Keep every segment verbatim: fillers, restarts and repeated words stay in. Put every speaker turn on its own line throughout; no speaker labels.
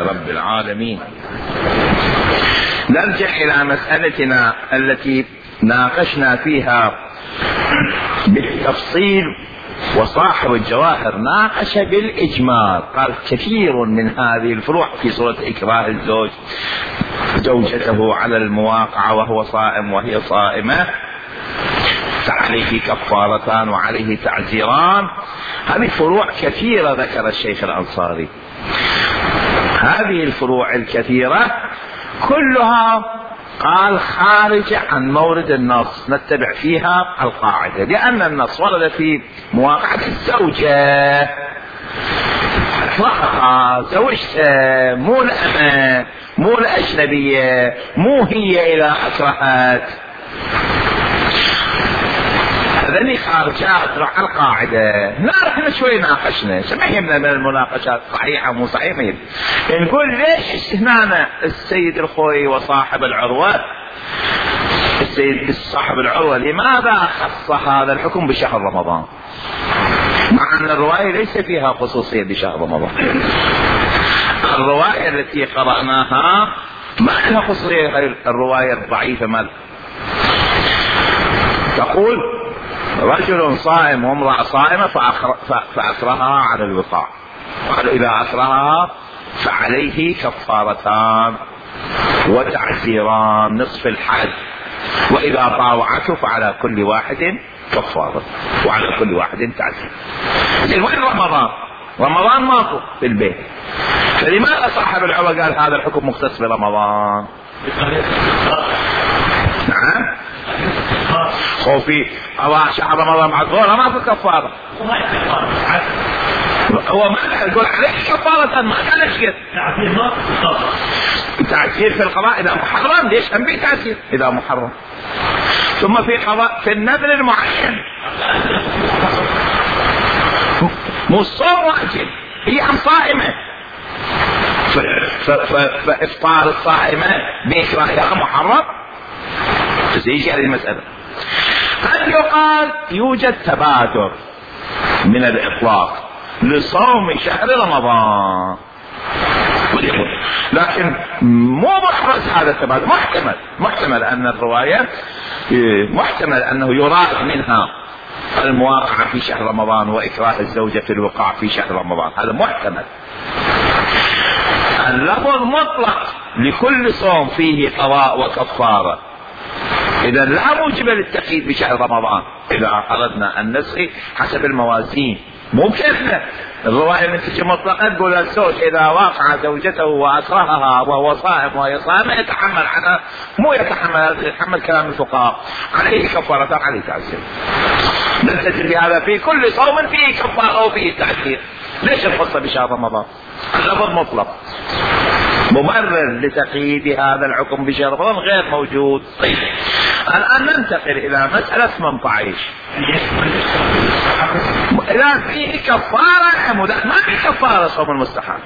رب العالمين. نرجع إلى مسألتنا التي ناقشنا فيها بالتفصيل، وصاحب الجواهر ناقش بالإجمال، قال كثير من هذه الفروع في صورة إكراه الزوج زوجته على المواقعة وهو صائم وهي صائمة، فعليه كفارتان وعليه تعزيران. هذه فروع كثيرة ذكر الشيخ الأنصاري. هذه الفروع الكثيرة كلها قال خارج عن مورد النص، نتبع فيها القاعدة، لأن النص ورد في مواقعة الزوجة، اطلقها زوجته، مو الأمة، مو الأجنبية، مو هي إلى أكرهت. هذني خارجات راح القاعدة. نار احنا شوي ناقشنا، ما يهمنا من المناقشات صحيحة مو صحيحة، نقول ليش استثنانا السيد الخوي وصاحب العروة، السيد صاحب العروة لماذا خص هذا الحكم بشهر رمضان، مع أن الرواية ليس فيها خصوصية بشهر رمضان. الرواية التي قرأناها ما لها خصوصية غير الرواية الضعيفة مال تقول رجل صائم وامرأة صائمة فأكرهها على الوقاع، قال إذا أكرهها فعليه كفارتان وتعزيران نصف الحد، وإذا طاوعته فعلى كل واحد كفارة وعلى كل واحد تعزير. وين رمضان؟ رمضان ماكو في البيت، فلماذا صاحب العروة قال هذا الحكم مختص برمضان؟ نعم خوفي الله شهر رمضان معذورة ما في كفارة، هو ما يقول عليك كفارة، ما كان يشكر تعزير في القضاء إذا محرم. ليش هم تعزير إذا محرم؟ ثم في قضاء في النذر المعين، مو الصوم واجب، هي عم صائمة، فإفطار الصائمة بإكراهها محرم. تزيج هذه المسألة. قد يقال يوجد تبادر من الإطلاق لصوم شهر رمضان، لكن مو محرز هذا التبادر، محتمل محتمل أن الرواية محتمل أنه يراد منها المواقعة في شهر رمضان وإكراه الزوجة في الوقاع في شهر رمضان، هذا محتمل. اللفظ مطلق لكل صوم فيه قضاء وكفارة، إذا لا موجب للتقييد بشهر رمضان إذا أردنا أن نسقي حسب الموازين، مو كيفنا. الرواية من تجي مطلقة تقول الزوج إذا واقع زوجته وأكرهها وهو صائم وهي صائمة يتحمل عنها، مو يتحمل يتحمل كلام الفقهاء عليه كفارة عليه تعزير. نلتزم بهذا في كل صوم فيه كفارة وفيه تعزير. ليش الخصة بشهر رمضان؟ اللفظ مطلق، مبرر لتقييد هذا الحكم بشهر رمضان غير موجود. طيب الآن ننتقل إلى مسألة ثمانية عشر. إذا فيه كفارة ما في كفارة صوم المستحب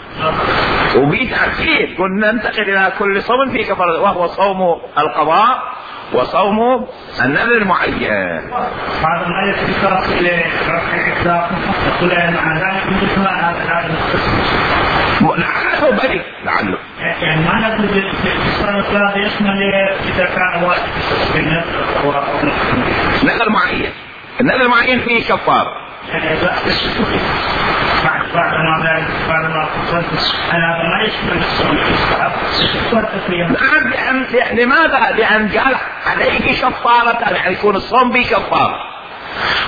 وبيه تعزير، قلنا ننتقل إلى كل صوم فيه كفارة، وهو صوم القضاء وصوم النذر المعين.
بعض الآيات تشترط إلى رفع الإطلاق تقول مع ذلك مثل هذا
لعله بريء لعله
يعني ما نقول بالإطلاق يشمل إذا كان واجب
نذر معين. النذر المعين فيه كفارة
بعد بعد ما ذلك بعد ما قلت أنا ما يشمل
الصوم. لماذا؟ لأن قال عليه كفارة، يعني يكون الصوم به كفارة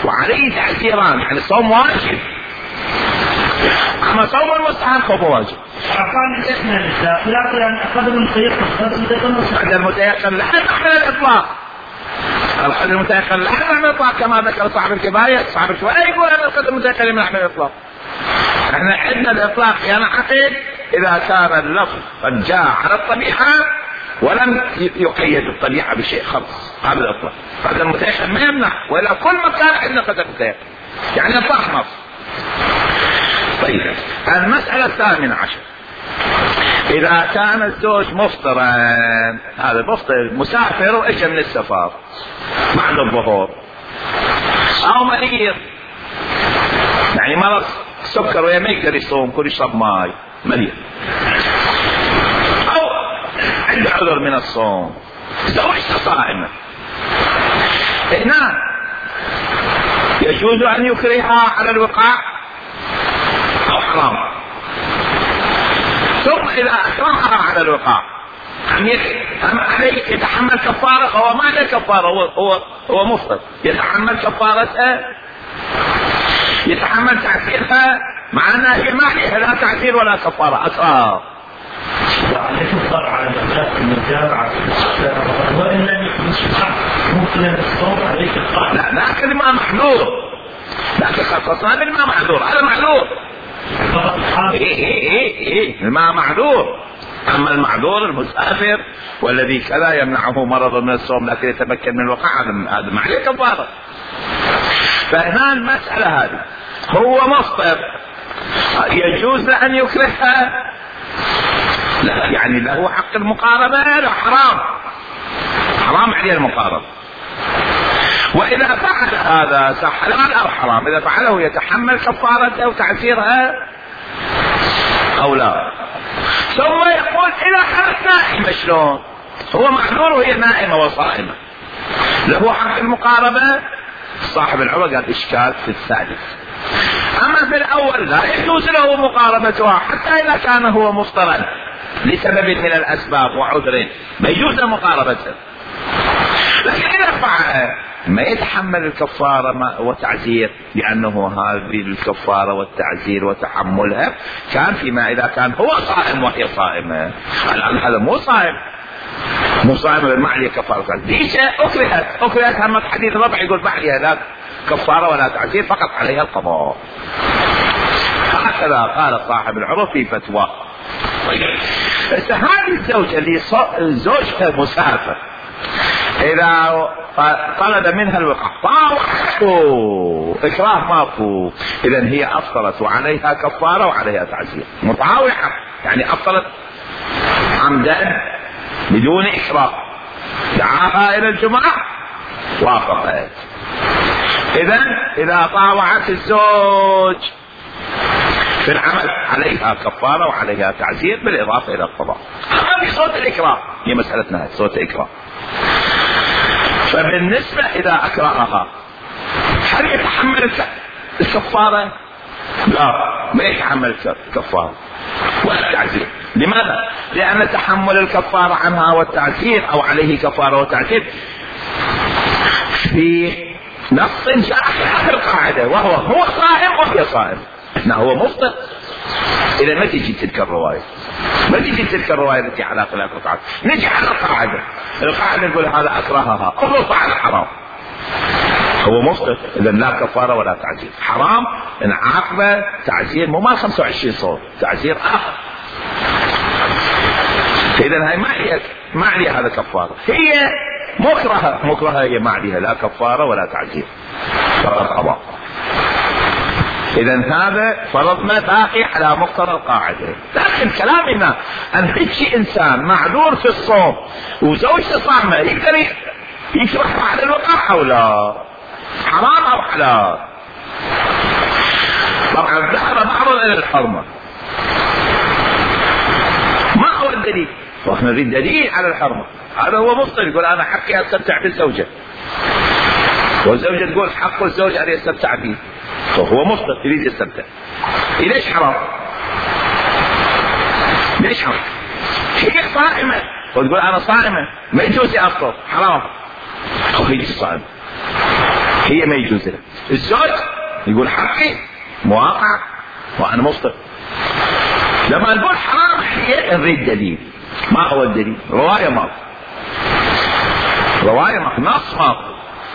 وعليه تعزيران، يعني الصوم واجب، أما صوم المستحب فهو واجب.
أقام الإثنى لله لا قدر المتيقن
قدر المتيقن لا تحمل الإطلاق، القدر المتيقن لا تحمل الإطلاق كما ذكر صاحب الكفاية. صاحب الكفاية يقول أن القدر المتيقن لا يحمل الإطلاق. احنا عندنا الإطلاق ينعقد إذا كان اللفظ قد جاء على الطبيعة ولم يقيد الطبيعة بشيء خاص، هذا الإطلاق. قدر المتيقن ما يمنع، وإلا كل مكان عندنا قدر متيقن يعني إطلاق نص. طيب المسألة الثامنة عشر، إذا كان الزوج مفطرا، هذا مفطر مسافر وإجا من السفر بعد الظهور، أو مريض يعني مرض سكر وما يقدر يصوم كل يشرب ماي، مريض عذر من الصوم، زوجته صائمة، هنا يجوز أن يكرهها على الوقاع أو حرام؟ ثم إذا أكرهها على الوقاع أما عليه يتحمل كفارة؟ هو ما عليه كفارة، هو هو هو مفطر، يتحمل كفارتها، يتحمل تعسيرها، مع أنها هي ما عليها لا تعسير ولا كفارة، أكرهها.
عليه الضرر على الأولاد المتابعة وإن لم يكن شرع ممكن الصوم عليك القاعدة.
لا لكن ما محذور، لكن خصصنا بالما محذور، هذا معذور. إيه إيه إيه إيه الماء معذور. أما المعذور المسافر والذي كذا يمنعه مرض من الصوم لكن يتمكن من الوقاع هذا ما عليه كفارة. فهنا المسألة هذه هو مفطر يجوز أن يكرهها؟ لا، يعني له حق المقاربة؟ لا، حرام، حرام عليه المقاربة. وإذا فعل هذا صح حلال أو حرام؟ إذا فعله يتحمل كفارته وتعسيرها أو لا؟ ثم يقول إذا كانت نائمة شلون؟ هو معذور وهي نائمة وصائمة، له حق المقاربة؟ صاحب العمر قال إشكال في الثالث. أما في الأول لا يجوز له مقاربتها حتى إذا كان هو مفطرا لسبب من الأسباب وعذر ما يجوز مقاربته، لكن إذا فعل ما يتحمل الكفارة وتعزير، لأنه هذه الكفارة والتعزير وتحملها كان فيما إذا كان هو صائم وهي صائمة. الآن هذا مو صائم، مو صائم ما عليه كفارة، ليش أكرهت؟ أكرهت هم حديث ربع يقول ما عليها لا كفارة ولا تعزير، فقط عليها القضاء. هكذا قال صاحب العروة في فتوى. هذه الزوجة اللي زوجها مسافر إذا طلب منها الوقاع طاوعته إكراه ماكو، إذن هي أفطرت وعليها كفارة وعليها تعزير. مطاوعة يعني أفطرت عمدا بدون إكراه، دعاها إلى الجماعة وافقت. إذن إذا طاوعت الزوج في العمل عليها كفارة وعليها تعزير بالإضافة إلى القضاء. أما في صوت الإكراه هي مسألتنا صوت الإكراه. فبالنسبة إذا أكرهها هل يتحمل الكفارة؟ لا، ما يتحمل الكفارة ولا التعزير. لماذا؟ لأن تحمل الكفارة عنها والتعزير أو عليه كفارة وتعزير في نص جاء في آخر القاعدة، وهو هو صائم وهي صائم. لا هو مفطر. إذا ما تجي تلك الرواية، ما تجي تلك الرواية التي على خلاف القاعدة، نجي على القاعدة. القاعدة نقول هذا أكرهها أو فعل حرام، هو مفطر، إذا لا كفارة ولا تعزير. حرام إن عاقبة تعزير مو ما خمسة وعشرين صوت، تعزير آخر. إذا هاي ما هي ما عليها هذا كفارة، هي مكرهة، مكرهة هي ما عليها لا كفارة ولا تعزير، فقط قضاء. إذا هذا فرضنا باقي على مقتضى القاعدة. لكن كلامنا أن هيك إنسان معذور في الصوم وزوجته صائمة يقدر يكره على الوقاع أو لا؟ حرام أو حلال؟ طبعا ذهب بعض إلى الحرمة. ما هو الدليل؟ واحنا نريد دليل على الحرمة. هذا هو مفطر يقول أنا حقي أستمتع بالزوجة، والزوجة تقول حق الزوج أن يستمتع به، فهو مفطر يريد يستمتع. ليش حرام؟ ليش حرام؟ هي صائمة وتقول أنا صائمة ما يجوز أفطر، حرام. أو هي صائمة هي ما يجوز لها. الزوج يقول حقي مواقع وأنا مفطر. لما نقول حرام هي نريد دليل. ما هو الدليل؟ رواية ماكو، رواية ماكو، نص ماكو.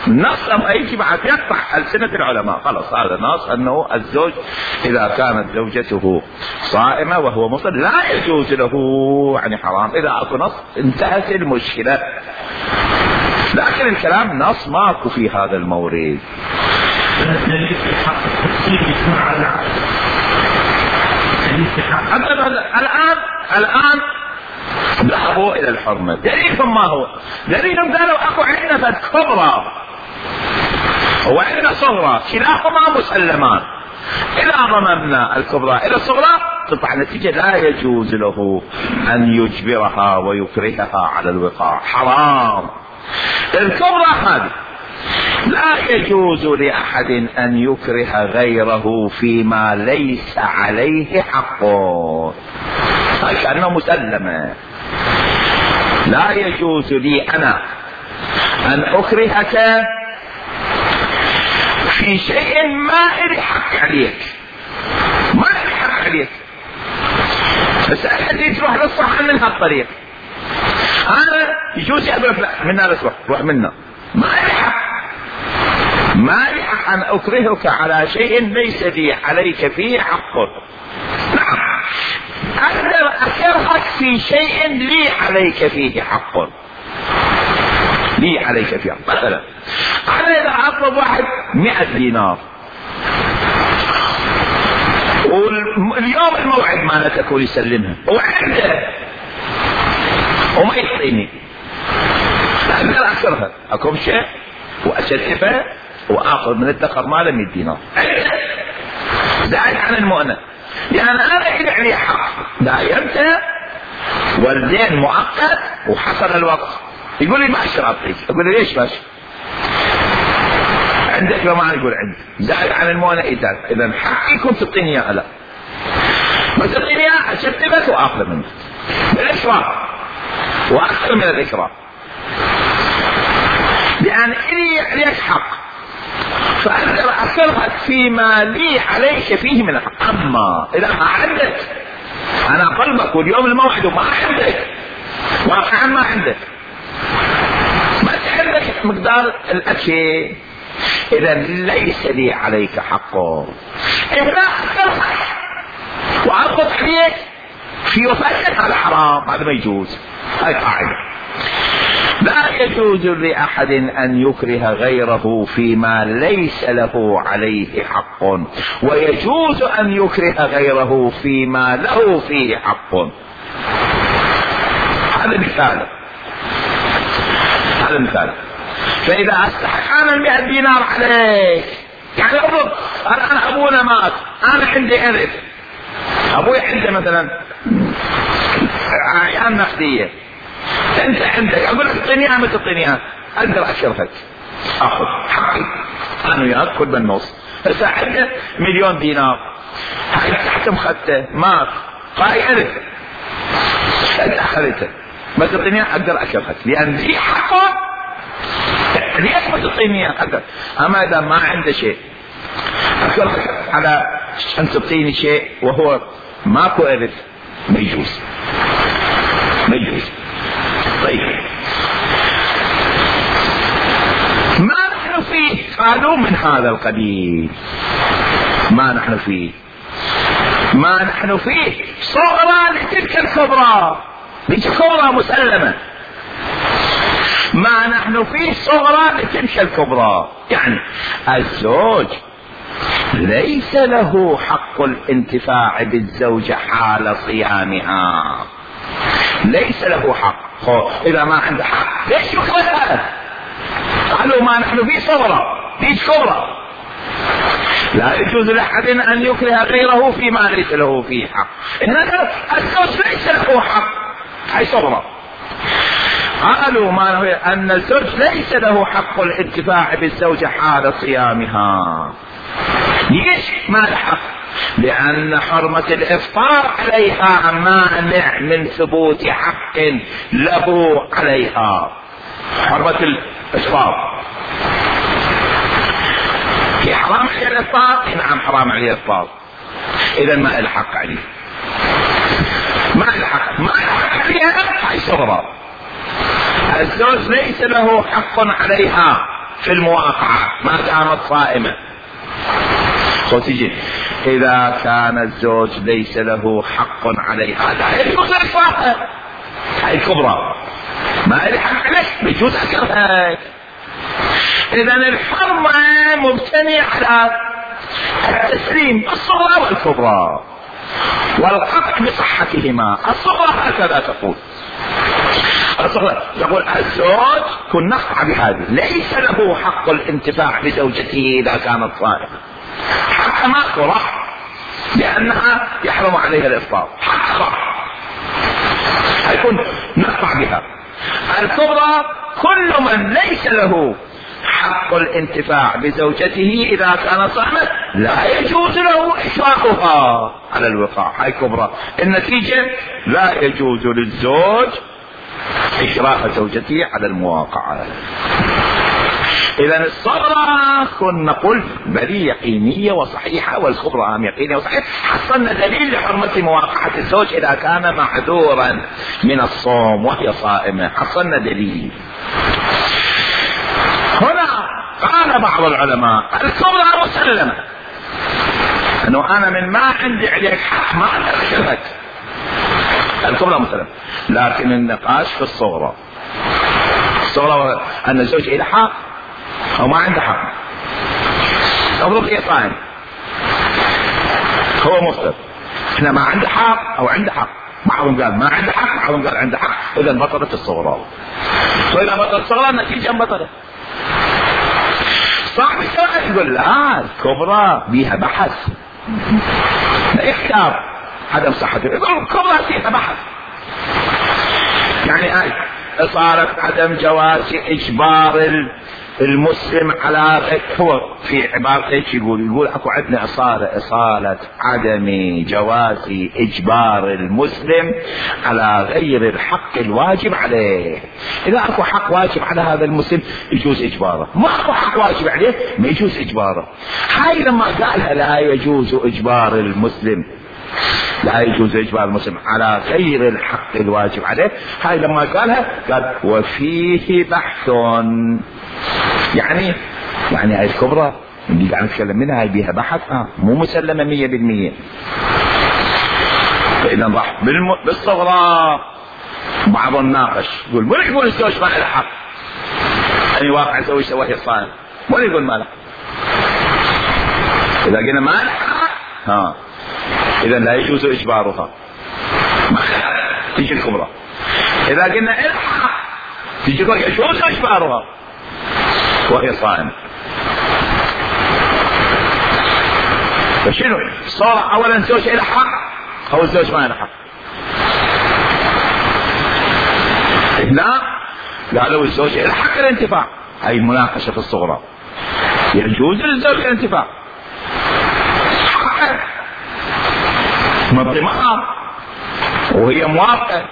النص لما يجي بعد يقطع ألسنة العلماء، خلاص هذا النص أنه الزوج إذا كانت زوجته صائمة وهو مفطر لا يجوز له، يعني حرام. إذا أكو نص انتهت المشكلة. لكن الكلام نص ماكو في هذا المورد. الآن الآن ذهبوا إلى الحرمة. دليلهم ما هو؟ دليلهم قالوا أكو عندنا كبرى وعندنا صغرى، كلاهما مسلمان. إذا ضممنا الكبرى إلى الصغرى تطلع نتيجة لا يجوز له أن يجبرها ويكرهها على الوقاع، حرام. الكبرى هذه لا يجوز لأحد أن يكره غيره فيما ليس عليه حقه، كأنه مسلمة. لا يجوز لي أنا أن أكرهك في شيء ما إلي حق عليك، ما إلي حق عليك، بس أحد تروح للصح من هالطريق، أنا يجوز أقول لك لا منا لا تروح، روح منا، ما إلي حق، ما إلي حق أن أكرهك على شيء ليس لي عليك فيه حق. نعم أقدر أكرهك في شيء لي عليك فيه حق، لي عليك فيه حق. مثلا أنا إذا أطلب واحد مئة دينار واليوم الموعد ما نتكون يسلمها وعنده وما يعطيني، أقدر أكرهها، أكون شيء وأشتفه وآخذ من الدخر ماله مئة دينار زائد عن المؤنة، لأن أنا إلي عليه حق. دايمته والدين مؤقت وحصل الوقت، يقول لي ما أشتري أعطيك، أقول لي ليش ماشي عندك؟ لو ما يقول عندي زائد عن المؤنة إذا إذا حقي كنت تعطيني إياه، لا ما تعطيني إياه أشتبك وآخذ منك بالإكرام وأكثر من الإكرام، لأن إلي عليك حق فأقدر أكرهك فيما لي عليك فيه من الحق. أما إذا ما عندك، أنا قلبك واليوم الموعد وما عندك، واقعا ما عندك، ما عندك مقدار الأكل، إذا ليس لي عليك حقه. إذا أكرهك وأضغط عليك في وفاتك هذا حرام، هذا ما يجوز، هاي قاعدة. لا يجوز لأحد أن يكره غيره فيما ليس له عليه حق، ويجوز أن يكره غيره فيما له فيه حق. هذا مثال، هذا مثال. فإذا أستحق أنا المئة دينار عليك، يعني أفرض أنا أبونا مات، أنا عندي إرث، أبوي عنده مثلا أعيان نقدية، انت عندك، اقول لك اعطيني اياها ما تعطيني اياها، اقدر اكرهك اخذ حقي انا وياك كل بالنص. هسه عنده مليون دينار تحت مخته مات قاي الف، انت اخذته ما تعطيني اياها اقدر اكرهك لان في حقه، ليش ما تعطيني اياها اقدر. اما اذا ما عنده شيء اكرهك على ان تعطيني شيء وهو ماكو الف، ما يجوز، ما يجوز. طيب ما نحن فيه؟ قالوا من هذا القبيل ما نحن فيه، ما نحن فيه صغرى لتلك الكبرى، لتلك الكبرى مسلمة، ما نحن فيه صغرى لتلك الكبرى. يعني الزوج ليس له حق الانتفاع بالزوجة حال صيامها، ليس له حق. إذا ما عنده حق ليش يكرهها؟ قالوا ما نحن فيه صغرى فيه كبرى، لا يجوز لأحد أن يكره غيره فيما ليس له فيه حق. هنا الزوج ليس له حق، هي صغرى. قالوا ما أن الزوج ليس له حق الانتفاع بالزوجة حال صيامها. ليش ما له حق؟ لأن حرمة الإفطار عليها مانع من ثبوت حق له عليها. حرمة الإفطار في حرام عليه الإفطار، نعم حرام عليه الإفطار، إذا ما له حق عليه، ما له حق، ما له حق عليها، هاي صغرى. الزوج ليس له حق عليها في المواقعة ما كانت صائمة. خوتي إذا كان الزوج ليس له حق عليها هذا يجوز إكراهها، هاي الكبرى، ما له حق عليك بيجوز أكرهك. إذا الحرمة مبتنية على التسليم الصغرى والكبرى والقطع بصحتهما. الصغرى هكذا تقول، الصغرى تقول الزوج كن نقطع بهذه ليس له حق الانتفاع بزوجته إذا كانت صائمة، حق ماكو راح لأنها يحرم عليها الإفطار حقا هيكون نقطع بها. الكبرى كل من ليس له حق الانتفاع بزوجته إذا كان صائما لا يجوز له إشراقها على الوقاع. هاي كبرى. النتيجة لا يجوز للزوج إشراق زوجته على المواقعة. إذا الصغرى كنا نقول بلي يقينية وصحيحة، والكبرى هم يقينية وصحيحة. حصلنا دليل لحرمة مواقعة الزوج إذا كان معذورا من الصوم وهي صائمة، حصلنا دليل. هنا قال بعض العلماء الكبرى مسلمة، أنه أنا من ما عندي عليك حق ما أدرك الكبرى مسلمة، لكن النقاش في الصغرى. الصغرى أن الزوج إلى حق أو ما عنده حق. أفرض هي صائم هو مفطر، احنا ما عنده حق أو عنده حق، بعضهم قال ما عنده حق بعضهم قال عنده حق، إذا بطلت الصغرى. وإذا بطلت الصغرى النتيجة بطلت. صاحب الشرع يقول لا الكبرى بيها بحث لا يختار عدم صحته، يقول الكبرى فيها بحث. يعني آي صارت عدم جواز إجبار المسلم على هو في عبارة ايش يقول؟ يقول اكو عندنا اصالة اصالة عدم جواز اجبار المسلم على غير الحق الواجب عليه. اذا اكو حق واجب على هذا المسلم يجوز اجباره، ما اكو حق واجب عليه ما يجوز اجباره. هاي لما قالها لا يجوز اجبار المسلم لا يجوز اجبار المسلم على غير الحق الواجب عليه، هاي لما قالها قال وفيه بحث. يعني يعني هاي الكبرى اللي قاعد نتكلم منها هاي بيها بحث آه مو مسلمة مية بالمية. فإذا راح بالصغرى بعض الناقش يقول مو يقول الزوج ما له حق أن يواقع زوجته وهي صائم، مو يقول ما له. إذا قلنا ما له حق ها إذا لا يجوز إجبارها، تيجي الكبرى. إذا قلنا الحق تيجي يجوز إجبارها وهي صائمة. فشنو صار؟ أولا الزوج له حق أو الزوج ما له حق؟ لا قالوا الزوج له حق الانتفاع. هاي المناقشة في الصغرى. يجوز للزوج الانتفاع حقه مضي معها وهي موافقة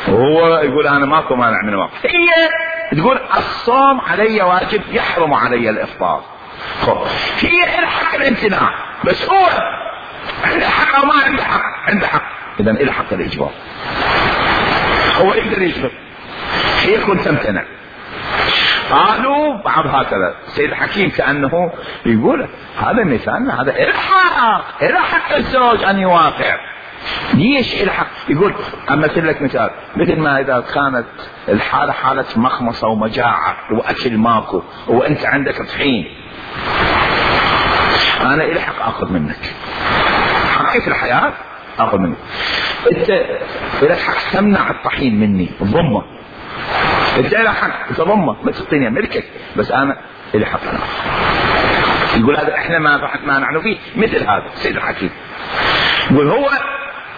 وهو يقول أنا ماكو مانع من واقع. هي تقول الصوم علي واجب يحرم علي الإفطار. هي الحق الامتناع بس هو عنده حق أو ما عنده حق؟ عنده حق. إذا إلى حق الإجبار، هو يقدر يجبر، هي كنت تمتنع. قالوا بعض هكذا سيد الحكيم كأنه يقول هذا مثال، هذا الحق الحق الزوج أن يوافق. ليش الحق؟ يقول أمثل لك مثال، مثل ما إذا كانت الحالة حالة مخمصة ومجاعة وأكل ماكو وأنت عندك طحين، أنا إلى حق أخذ منك حقي في الحياة، أخذ منك. أنت إلى حق تمنع الطحين مني ضمه، أنت إلى حق تضمه ما تعطيني ملكك، بس أنا إلى حق أنا. يقول هذا إحنا ما ما نحن فيه مثل هذا سيد الحكيم. يقول هو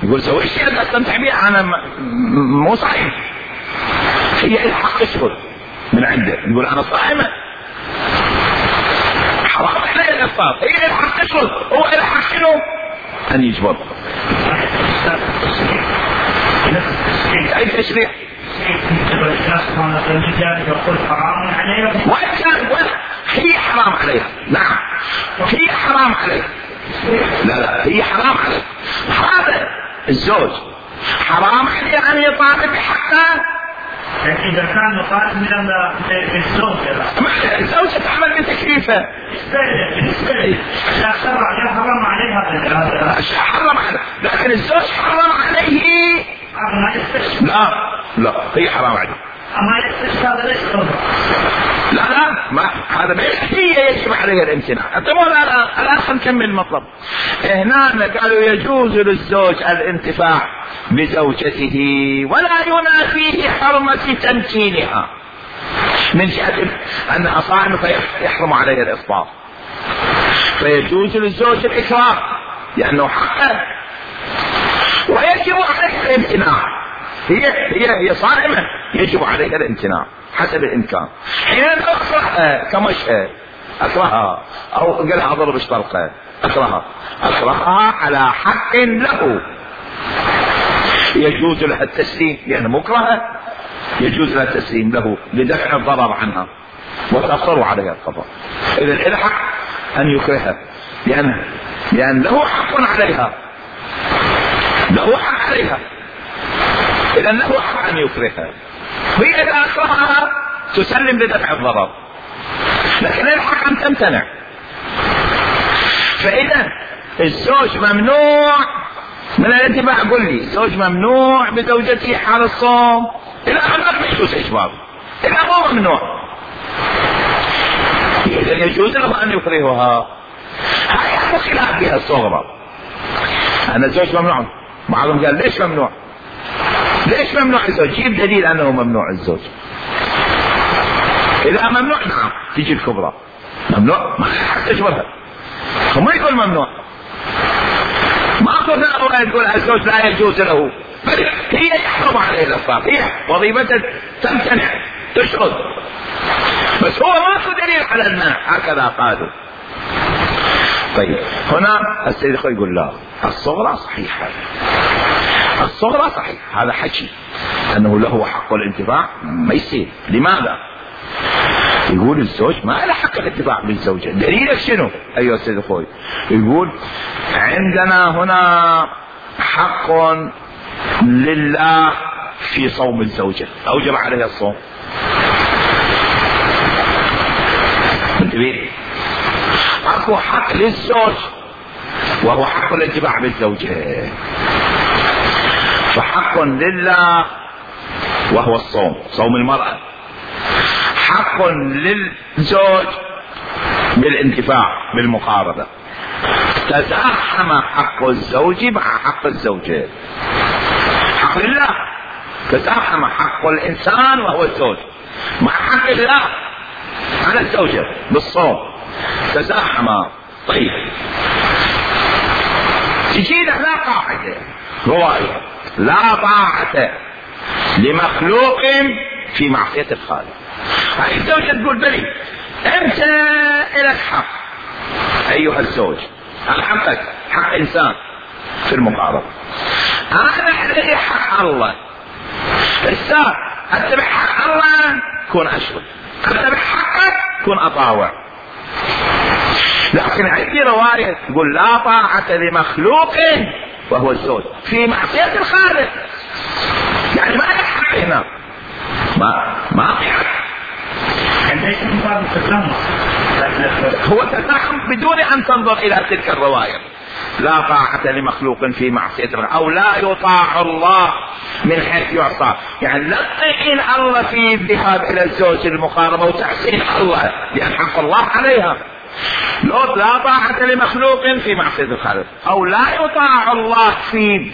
يقول سوي الشيء اللي استمتع به أنا مو صحيح، هي الحق تشغل من عنده. يقول أنا صائمة حرام عليه الإفطار، هي الحق تشغل، هو الحق شنو؟ أن يجبر. أي تشريع هي حرام عليها. نعم هي حرام عليها. لا لا هي حرام عليه. هذا الزوج حرام عليه أن يطالب بحقه.
إذا كان يطالب من الزوجة
الزوجة تعمل بتكليفه
لا شرع حرام عليها
حرام عليه، لكن الزوج حرام عليه. لا لا هي حرام عليه.
أما يستشفى هذا ليش
لا لا ما هذا ما هي يجب عليها الامتناع. طبعا الآن نكمل المطلب. هنا قالوا يجوز للزوج الانتفاع بزوجته ولا ينافيه حرمة تمكينها من جهة أنها صائمة فيحرم عليها الإفطار، فيجوز للزوج الإكراه لأنه حقه ويجب عليها الامتناع. هي هي هي صائمة يجب عليها الامتناع حسب الإمكان. حين أكرهها كمشهد أكرهها أو قالها أضرب اشطلقة أكرهها أكرهها على حق له يجوز لها التسليم لأنها مكرهة، يجوز لها التسليم له لدفع الضرر عنها وتأخر عليها القضاء. إذا إلى حق أن يكرهها لأن لأن له حق عليها، له حق عليها، إذا له حق أن يكرهها. هي إذا أكرهها تسلم لدفع الضرر، لكن الحق أن تمتنع. فإذا الزوج ممنوع من الاتباع، قل لي الزوج ممنوع بزوجته حال الصوم إلى أن ما يجوز إجبار، إذا هو ممنوع إذا يجوز له أن يكرهها. هاي خلاف بها الصغرى. أنا الزوج ممنوع، بعضهم قال ليش ممنوع؟ ليش ممنوع الزوج؟ جيب دليل أنه ممنوع الزوج. إذا ممنوع نعم تجي الكبرى ممنوع ما حتى تجبرها، هم يقول ممنوع، ما أقول يقول الزوج لا يجوز له، بل هي يحرم عليه الإفطار، هي وظيفتها تمتنع تشرد، بس هو ما في دليل على المنع هكذا قالوا. طيب هنا السيد الخوي يقول لا الصغرى صحيحة، الصغرى صحيح، هذا حكي أنه له حق الانتفاع ما يصير. لماذا؟ يقول الزوج ما له حق الانتفاع بالزوجة. دليلك شنو أيها السيد الخوي؟ يقول عندنا هنا حق لله في صوم الزوجة، أوجب عليها الصوم. انتبه، اكو حق للزوج وهو حق الانتفاع بالزوجة، فحق لله وهو الصوم، صوم المرأة. حق للزوج بالانتفاع بالمقاربة. تزاحم حق الزوج مع حق الزوجة. حق لله تزاحم حق الإنسان وهو الزوج مع حق الله على الزوجة بالصوم، تزاحم. طيب تجينا لا قاعدة رواية لا طاعة لمخلوق في معصية الخالق. هاي الزوجة تقول بلي انت لك حق ايها الزوج، حقك حق انسان في المقاربة، انا لي حق الله. الساعة اتبع حق الله كون اشرك، اتبع حقك كون اطاوع. لكن عندي رواية تقول لا طاعة لمخلوق وهو الزوج في معصية الخالق، يعني ما لك حق هنا، ما ما في حق. هو تزاحم بدون ان تنظر الى تلك الرواية. لا طاعة لمخلوق في معصية الخالق، او لا يطاع الله من حيث يعصى، يعني لا تطيعين الله في الذهاب الى الزوج المقاربة وتحسين الله لان حق الله عليها. لا طاعة لمخلوق في معصية الخالق، او لا يطاع الله في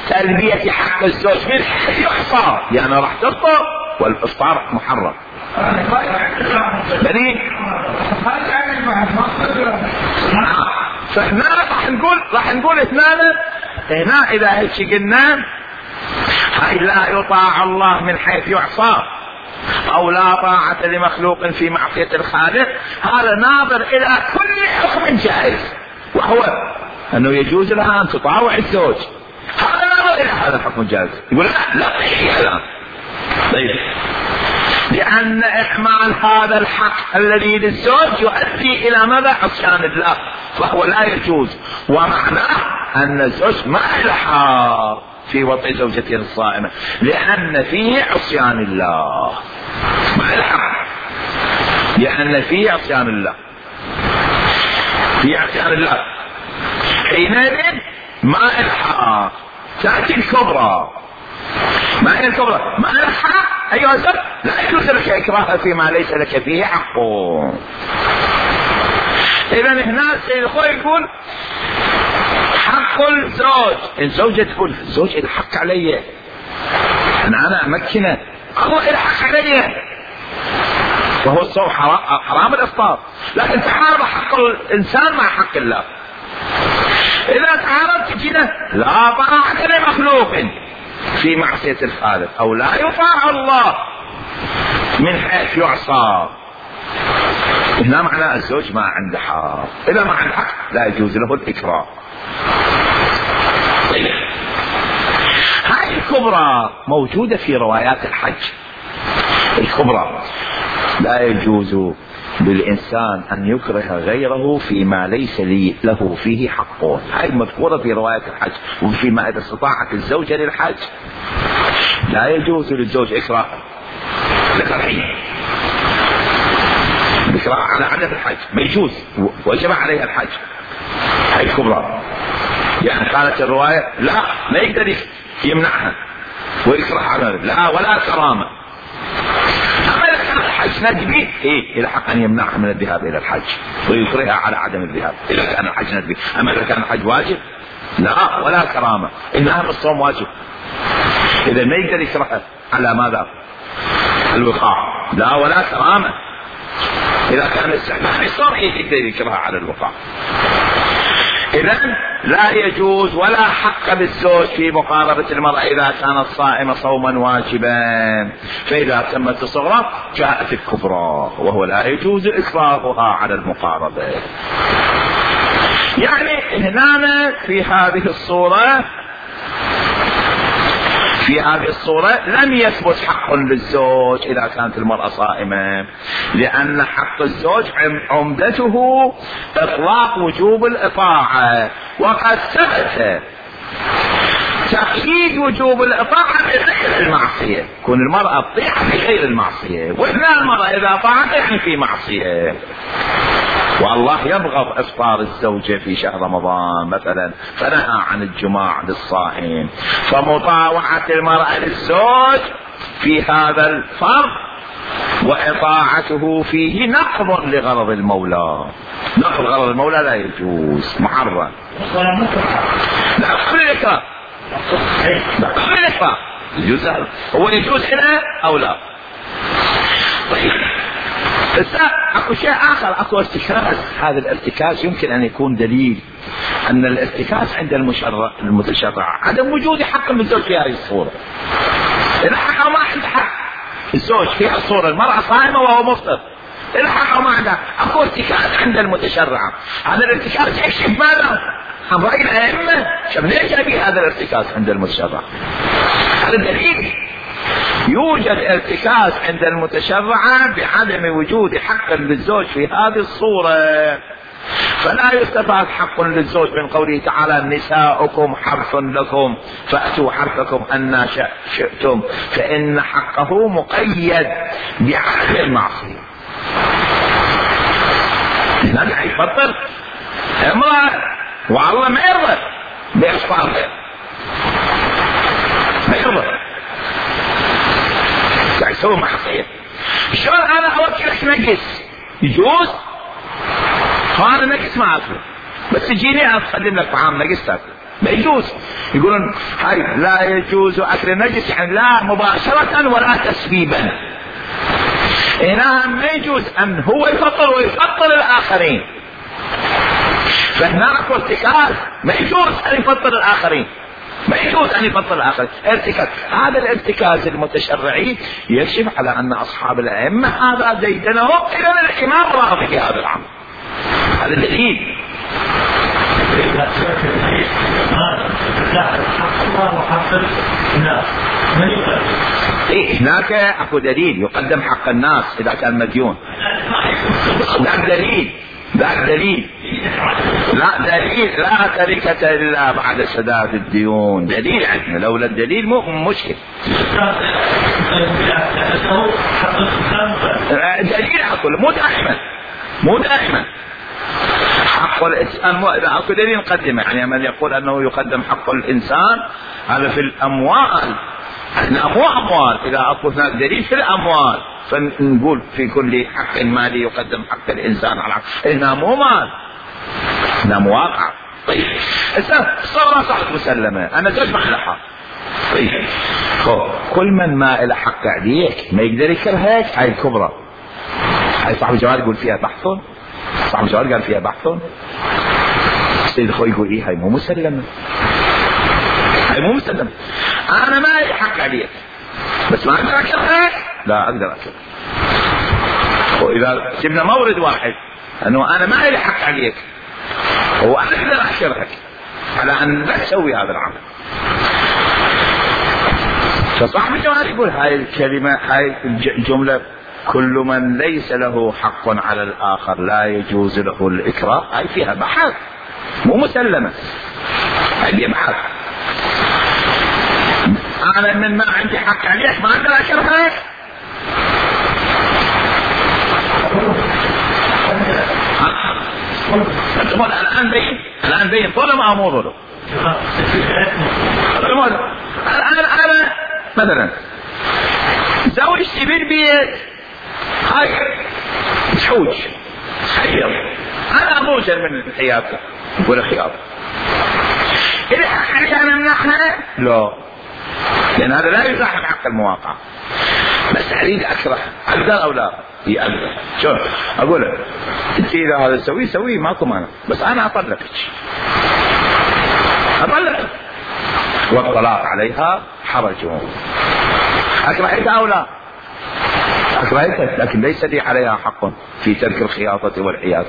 تلبية حق الزوج من حيث يعصى، يعني راح تفطر والافطار محرم. يعني فاحنا راح نقول راح نقول اثنان هنا اذا هيك قلنا هاي لا يطاع الله من حيث يعصى او لا طاعة لمخلوق في معصية الخالق، هذا ناظر الى كل حكم جائز، وهو انه يجوز لها ان تطاوع الزوج، هذا ناظر الى هذا الحكم الجائز. يقول لا لا لا طيب، لأن إحمال هذا الحق الذي للزوج يؤدي إلى ماذا؟ عصيان الله، فهو لا يجوز، ومعناه أن الزوج ما يلحق في وطئ زوجته الصائمة لأن فيه عصيان الله، ما يلحق لأن فيه عصيان الله، فيه عصيان الله، حينئذ ما يلحق. تأتي الكبرى، ما هي الكبرى؟ ما يلحق أيها الزوج لا يجوز لك إكراهها فيما ليس لك فيه حق. إذا هنا السيد الخوي يقول حق الزوج، الزوجة تقول الزوج الحق علي، أنا أنا أمكنه، الله الحق علي، وهو الصوم حرام الإفطار، لكن تحارب حق الإنسان مع حق الله. إذا تعارضت كده لا طاعة لمخلوق في معصية الخالق، أو لا يطاع الله من حيث يعصى. هنا معنى الزوج ما عنده حق، إذا ما عنده حق لا يجوز له الإكراه. طيب هذه الكبرى موجودة في روايات الحج الكبرى. لا يجوز للإنسان أن يكره غيره فيما ليس لي له فيه حق. هذه مذكورة في رواية الحج. وفيما إذا استطاعت الزوجة للحج لا يجوز للزوج إكراه لكرهه بكراه على عدم الحج، ما يجوز، وجب عليها الحج. هاي الكبرى. يعني قالت الرواية لا ما يقدر يمنعها ويكره على لا ولا كرامة. أما إذا كان الحج ندبي إيه إلى حق أن يمنعها من الذهاب إلى الحج ويكرهها على عدم الذهاب إذا كان الحج ندبي. أما إذا كان الحج واجب لا ولا كرامة، إنها الصوم واجب، إذا ما يقدر يكرهها على ماذا؟ الوقاع، لا ولا كرامة. إذا كان استحباب الصوم يقدر يكرهها على الوقاع. إذن لا يجوز ولا حق بالزوج في مقاربة المرأة إذا كانت صائمة صوما واجبا. فإذا تمت الصغرى جاءت الكبرى، وهو لا يجوز إكراهها على المقاربة. يعني هنا في هذه الصورة في هذه الصورة لم يثبت حق للزوج إذا كانت المرأة صائمة، لأن حق الزوج عمدته إطلاق وجوب الإطاعة، وقد ثبت تأكيد وجوب الإطاعة بغير المعصية. كون المرأة تطيع في غير المعصية، وإحنا المرأة إذا طاعت يعني في معصية. والله يبغض إفطار الزوجة في شهر رمضان مثلا، فنهى عن الجماع للصائم. فمطاوعة المرأة للزوج في هذا الفرض وإطاعته فيه نقض لغرض المولى. نقض غرض المولى لا يجوز، محرم. لا قبل الإكراه، لا قبل الإكراه يجوز. هو يجوز هنا أو لا؟ طيب بس اكو شيء اخر، اكو ارتكاز. هذا الارتكاز يمكن ان يكون دليل ان الارتكاز عند المشرع المتشرع عدم وجود حق للزوج في هذه الصورة. اذا حق ما عنده حق الزوج في الصورة، المرأة صائمة وهو مفطر، اذا حق ما عنده، اكو ارتكاز عند المتشرع. هذا الارتكاز يكشف ماذا؟ عن رأي الائمة. شوف ليش ابي هذا الارتكاز عند المتشرع؟ هذا دليل يوجد ارتكاز عند المتشرع بعدم وجود حق للزوج في هذه الصورة. فلا يستفاد حق للزوج من قوله تعالى نساؤكم حرث لكم فأتوا حرثكم أن شئتم، فإن حقه مقيد بعدم المعصية. هنا يفطر امرأة والله ما يرضى بإفطارها، ما يرضى يسوي معصية. شلون انا اوكلك نقص؟ يجوز؟ هذا نقص ما اكله، بس تجيني اقدم لك طعام نقص تاكل، ما يجوز. يقولون هاي لا يجوز اكل نقص، يعني لا مباشرة ولا تسبيبا. هنا ما يجوز ان هو يفطر ويفطر الاخرين، فهناك ارتكاز، ما يجوز ان يفطر الاخرين، ما يجوز ان يفطر الاخر. ارتكاز، هذا الارتكاز المتشرعي يكشف على ان اصحاب الائمه هذا ديدنهم، اذا الامام راضي في هذا الامر. هذا دليل. إيه هناك اكو دليل يقدم حق الناس اذا كان مديون. ذاك دليل، ذاك دليل. لا دليل لا تركة إلا بعد سداد الديون، دليل عندنا. لولا الدليل مو مشكل. دليل أقول مو دائما، مو دائما حق الإنسان مو إذا أكو دليل نقدمه. يعني من يقول أنه يقدم حق الإنسان هذا في الأموال، احنا مو أموال. إذا أكو هناك دليل في الأموال فنقول في كل حق مالي يقدم حق الإنسان على حق. إحنا مو مال، إحنا مواقع. طيب الصورة صح مسلمة، أنا زوج ما إلى حق. طيب كل من ما إلى حق عليك ما يقدر يكرهك. هاي الكبرى، هاي صاحب الجواب يقول فيها بحث، صاحب الجواب قال فيها بحث. السيد الخوي يقول إيه هاي مو مسلمة، هاي مو مسلمة، أنا ما لي حق عليك بس ما أقدر أكرهك، لا أقدر أكرهك. وإذا جبنا مورد واحد أنه أنا ما لي حق عليك وأنا أقدر أكرهك على أن لا تسوي هذا العمل. فصاحب الجواب يقول هاي الكلمة، هاي الجملة، كل من ليس له حق على الآخر لا يجوز له الإكراه، هاي فيها بحث مو مسلمة، هاي فيها بحث. أنا من ما عندي حق عليك ما أقدر أكرهك. الآن بين الآن بين ظلم أو مو ظلم؟ الآن أنا مثلا زوجتي بالبيت هاي تحوج خير، أنا أموجل من حياتها ولا خيار، إذا حق أنا منحها لا، لأن هذا لا يزاحم حق المواقع. بس أريد أكره، أقدر أو لا؟ هي أقدر. شو أقول لك أنت إذا هذا سوي سوي ماكو مانع، بس أنا أطلقك أطلقك والطلاق عليها حرج. أكرهتها أو لا؟ أكرهتها، لكن ليس لي عليها حق في ترك الخياطة والحياة.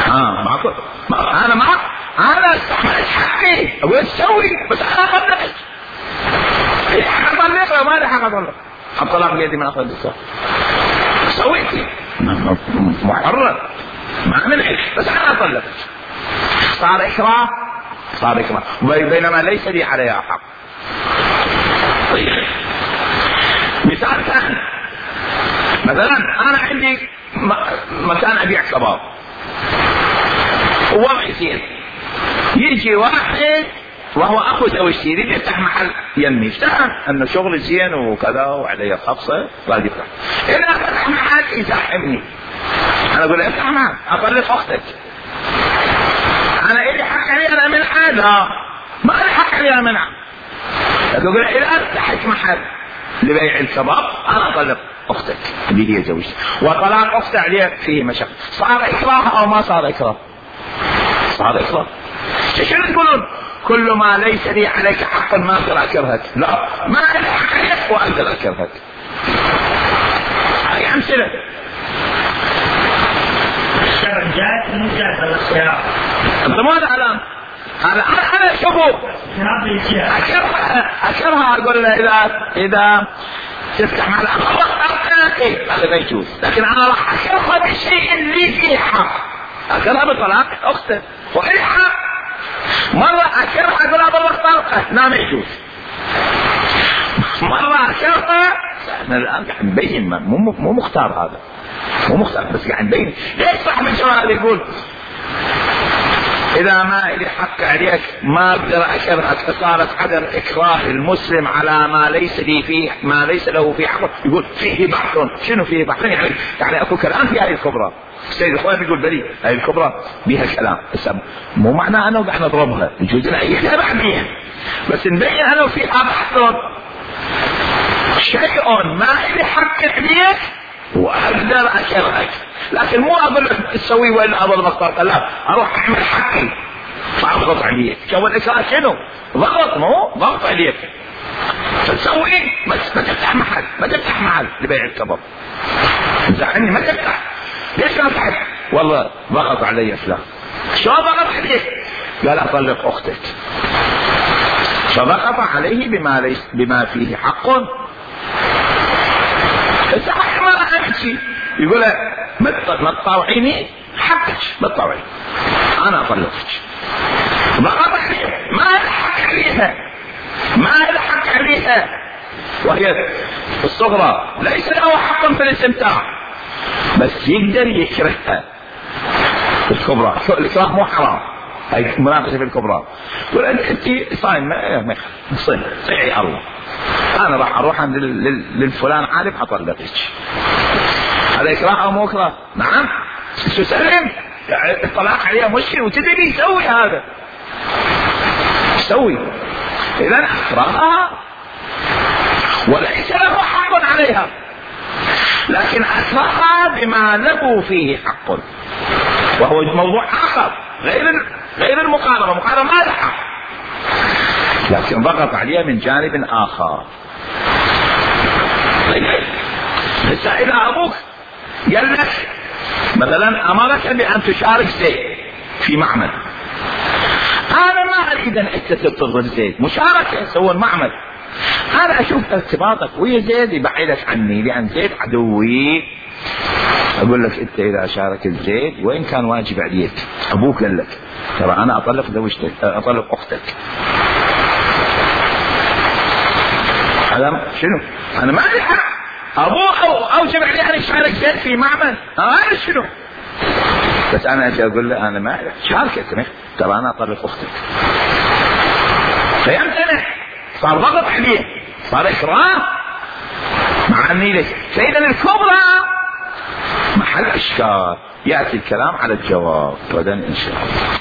ها معكم؟ ما أنا معك، أنا استحملت حقي أقول تسوي، بس أنا أطلقك. أطلقها ما لي حق أطلق، الطلاق بيدي من أخذ الصلاة. سويتي محرر ما منعك، بس أنا أطلقك. صار إكراه، صار إكراه، بينما ليس لي عليها حق. طيب مثال ثاني، مثلا أنا عندي مكان أبيع كباب ووضعي زين، يجي واحد وهو أخو زوجتي يريد يفتح محل يمي، افتح أنه شغل زين وكذا وعليه خبصة راح يفتح. إذا فتح محل يزاحمني، أنا أقول له افتح محل أطلق أختك، أنا إلي حق علي أنا منعه؟ لا ما لي حق علي أنا منعه. لكن أقول له إذا فتحت محل لبيع الكباب أنا أطلق أختك اللي هي زوجتي، وطلاق أختي عليك فيه مشقة. صار إكراه أو ما صار إكراه؟ صار إكراه. شنو تقولون؟ كل ما ليس لي عليك حق ما أقدر أكرهك، لا ما لي حق عليك وأقدر أكرهك. هاي أمثلة.
جاءت من جاءت الاختيار.
أنت ماذا الآن؟ أنا أنا شوفوا أكرهها أكرهها أقول له إذا إذا تفتح مع الأخوة هذا ما يجوز، لكن أنا راح أكرهها بالشيء اللي فيه حق، أكرهها بطلاق أختك وإيه حق. مرة أكرهها أقول لها بالله طلقة، لا ما يجوز. مرة أكرهها، احنا الآن قاعد نبين مو مو مختار هذا، مو مختار بس قاعد نبين. ليش صاحب الجواب يقول إذا ما لي حق عليك ما أقدر أكرهك، صارت عدم إكراه المسلم على ما ليس لي فيه ما ليس له فيه حق. يقول فيه بحث. شنو فيه بحث؟ يعني يعني أكو كلام في هذه الكبرى. السيد الخوان يقول بلي هذه الكبرى بها كلام، مو معناه أنه قاعد نضربها، يجوز لنا يتابع بيها، بس نبين أنه فيها بحث. شيء ما لي حق عليك وأقدر أكرهك، لكن مو أقول لك تسوي وإلا أضل بطاقة، لا أروح أعمل حقي فأضغط عليك. شو الإكراه شنو؟ ضغط، مو ضغط عليك فتسوي. ما تفتح محل، ما تفتح محل لبيع الكباب، زعلني ما تفتح. ليش ما فتحت؟ والله ضغط علي فلان. شو ضغط عليك؟ قال أطلق أختك، فضغط عليه بما ليس بما فيه حق. صحيح ما راح أمشي، يقول ما تطاوعيني حقك، ما تطاوعيني أنا أطلقك. ضغط عليه ما الحق عليها، ما الحق عليها، وهي الصغرى ليس له حق في الاستمتاع، بس يقدر يكرهها. الكبرى الإكراه مو حرام، هاي مناقشة في الكبرى. تقول أنت صايم ما صيم صيحي الله، أنا راح أروح عند للفلان عارف أطلقك. هذا إكراه أو مو إكراه؟ نعم. شو سلم الطلاق عليها مشكلة وتدري يسوي هذا، يسوي. إذا أكرهها وليس له حق عليها، لكن أكرهها بما له فيه حق. وهو موضوع آخر غير غير المقاربة، مقاربة مالحة، لكن ضغط عليها من جانب آخر. بس إذا أبوك قال لك مثلا أمرك بأن تشارك زيد في معمل، أنا ما أريد أن أستثمر زيد، مشاركة يسوون معمل، أنا أشوف ارتباطك ويا زيد يبعدك عني لأن زيد عدوي. أقول لك أنت إذا شاركت زيد وإن كان واجب عليك، أبوك قال لك ترى أنا أطلق زوجتك، أطلق أختك، هذا شنو؟ أنا ما أدري حق أبوه أوجب علي أن يشارك زيد في معمل، أنا شنو؟ بس أنا أجي أقول له أنا ما شاركتني، ترى أنا أطلق أختك، فيمتنع، صار ضغط عليه، صار إكراه مع النيلة. فإذا الكبرى محل إشكال، يأتي الكلام على الجواب غدا إن شاء الله.